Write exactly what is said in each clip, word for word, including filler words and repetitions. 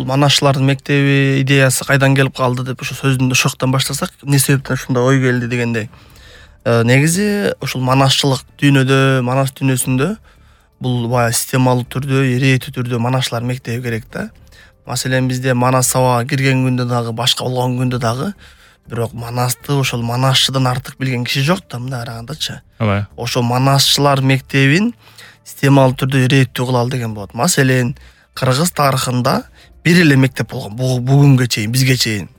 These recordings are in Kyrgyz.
манашчылардын мектеби идеясы кайдан келип калды деп ошо сөздүн ошоктон баштасак, эмне себептен ушундай ой келди дегендей. Негизи ушул манашчылык дүйнөдө, манас дүйнөсүндө бул баягы системалуу түрдө, ирээттүү түрдө манашчылар мектеби керек да. Маселен, бизде манас сабагына кирген күндө дагы, башка болгон күндө дагы бирок манасты ошол манашчыдан артык билген киши жок да, мындай карагандачы. Ооба. Ошол манашчылар мектебин системалуу түрдө ирээттүү кылалы деген болот. Маселен, Кыргыз тарыхында бир эле мектеп болгон, бүгүнгө чейин, бизге чейин.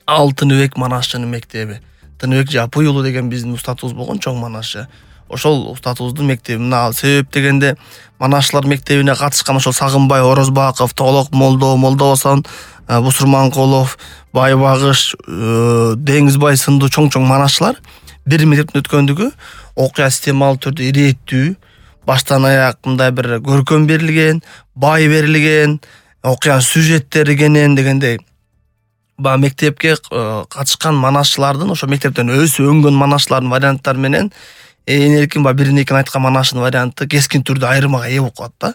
Ал Тыныбек манашчынын мектеби. Тыныбек Жапый уулу деген биздин устатыбыз болгон, чоң манашчы. Ошол устатыбыздын мектеби. Мына ал себеп дегенде манашчылар мектебине катышкан ошол Сагынбай Орозбаков, Толок Молдо, Молдобосон, Бусурманкулов, Байбагыш, Деңизбай сындуу чоң-чоң манашчылар бир мектептен өткөндүгү окуя системалуу түрдө ирээттүү, баштан аяк мындай бир көркөм берилген, бай берилген, окуянын сюжеттери кенен дегендей. Ба мектепке катышкан манашчылардын, ошо мектептен өсүп өнгөн манашчылардын варианттары менен эң эркин ба бирин экин айткан манашчынын варианты кескин түрдө айырмага ээ болуп калат да.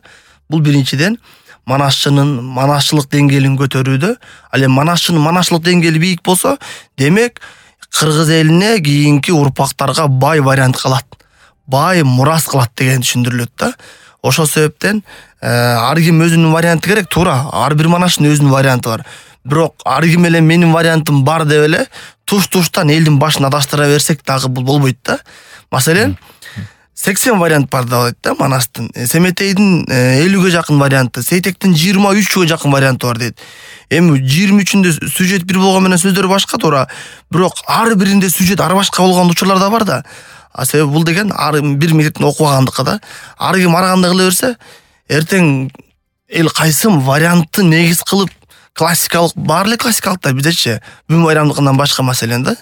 Бул биринчиден манашчынын манашчылык деңгээлин көтөрүүдө. Ал эми манашчынын манашчылык деңгээли бийик болсо, демек кыргыз элине кийинки урпактарга бай вариант калат. Бай мурас кылат деген түшүндүрүлөт да. Ошол себептен ар ким өзүнүн варианты керек, туура. Ар бир манашчынын өзүнүн варианты бар. Бирок ар ким эле менин вариантым бар деп эле туш-туштан элдин башын адаштыра берсек дагы бул болбойт да. Маселен, сексен вариант бар дейт да манастын. Семетейдин элүүгө жакын варианты, Сейтектин жыйырма үчкө жакын варианты бар дейт. Эми жыйырма үчүндө сюжет бир болгон менен сөздөр башка, туура. Бирок ар биринде сюжет ар башка болгон учурлар да бар да. А себеби бул деген ар бир мектептин окубагандыгы да. Ар ким ар кандай кыла берсе, эртең эл кайсым вариантты негиз кылып классикалык, бар эле классикалыктар биздечи, бүм байрамдыкынан башка маселен да.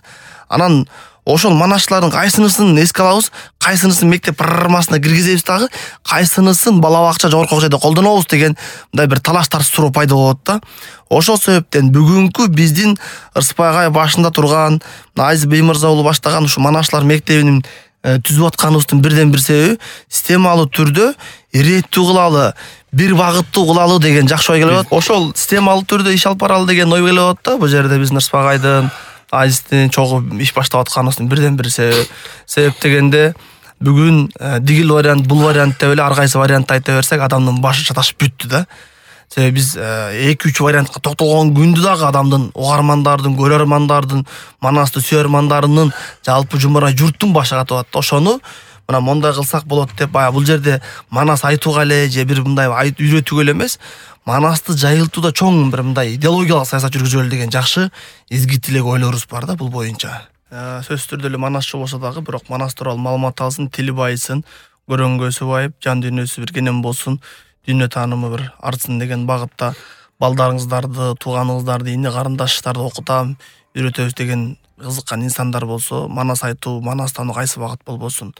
Анан ошол манашчылардын кайсынысын эске алабыз, кайсынысын мектеп программасына киргизебиз дагы, кайсынысын бала бакча жогорку жайда колдонобуз деген мындай бир талаштар суроо пайда болот да. Ошол себептен бүгүнкү биздин Ырсбай башында турган, Айз Беймырза уулу баштаган ушу манашчылар мектебинин түзүп атканыбыздын бирден бир себеби системалуу түрдө ирээттүү кылалы, бир багыттуу кылалы деген жакшы ой келип атат. Ошол системалуу түрдө иш алып баралы деген ой келип атат да. Бул жерде биздин Ырсбайдын, Айздин чогуу иш баштап атканыбыздын бирден бир себеби. Себеп дегенде бүгүн дигил вариант, бул вариант деп эле ар кайсы вариантты айта берсек, адамдын башы чаташып бүттү да. Себеби биз эки үч вариантка токтолгон күндү дагы адамдын, угармандардын, көрөрмандардын, манасты сүйөрмандарынын, жалпы жумурай журттун башы катып атат. Ошону мына мондай кылсак болот деп, баягы бул жерде манас айтууга эле же бир мындай айт үйрөтүүгө эле эмес, манасты жайылтууда чоң бир мындай идеологиялык саясат жүргүзөлү деген жакшы изги тилек ойлорубуз бар да бул боюнча. Сөзсүз түрдө эле манасчы болсо дагы, бирок манас тууралуу маалымат алсын, тили байысын, көрөнгөсү байып, жан дүйнөсү бир кенен болсун, дүйнө таанымы бир артсын деген багытта балдарыңыздарды, тууганыңыздарды, ини карындаштарды окутам, үйрөтөбүз деген кызыккан инсандар болсо, манас айтуу, манас таануу кайсы багыт болбосун.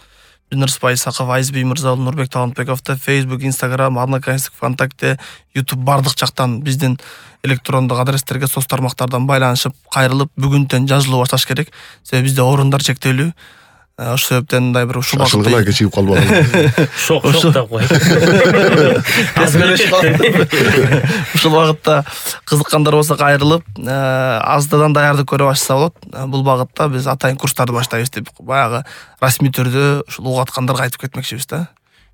Ырсбай Исаков, Айз Беймырза, Нурбек Талантбековду Facebook, Instagram, Одноклассник, ВКонтакте, YouTube бардык жактан биздин электрондук адрестерге, соц тармактардан байланышып, кайрылып, бүгүнтөн жазылуу башташ керек. Себеби бизде орундар чектелүү. Ошол себептен мындай бир ушул багытта шашылгыла кечигип калбаган. Шок, шок да кой. Ушул багытта кызыккандар болсо кайрылып, аздадан даярдык көрө баштаса болот. Бул багытта биз атайын курстарды баштайбыз деп, баягы расмий түрдө ушул угаткандарга айтып кетмекчибиз да.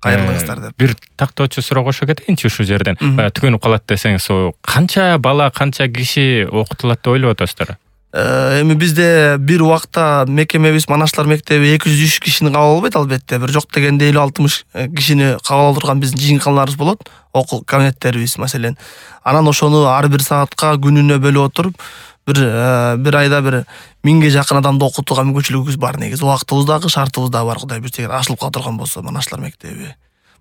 Кайрылыңыздар деп. Бир тактоочу суроо кошо кетейинчи ушул жерден. Түгөнүп калат десеңиз, канча бала, канча киши окутулат деп ойлоп атасыздар? Эми бизде бир убакта мекемебиз манашчылар мектеби эки жүз үч кишини кабыл албайт албетте. Бир жок дегенде элүү алтымыш кишини кабыл алып турган биздин жыйынканаларыбыз болот, окуу кабинеттерибиз маселен. Анан ошону ар бир саатка күнүнө бөлүп отуруп, бир бир айда бир миңге жакын адамды окутууга мүмкүнчүлүгүбүз бар негизи. Убактыбыз дагы, шартыбыз дагы бар, Кудай буйрса, эгер ашылып кала турган болсо манашчылар мектеби.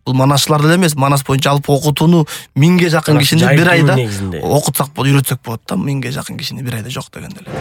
Бул манашчылар эле эмес, манас боюнча алып окутууну миңге жакын кишини бир айда окутсак болот, үйрөтсөк болот да, миңге жакын кишини бир айда жок дегенде эле.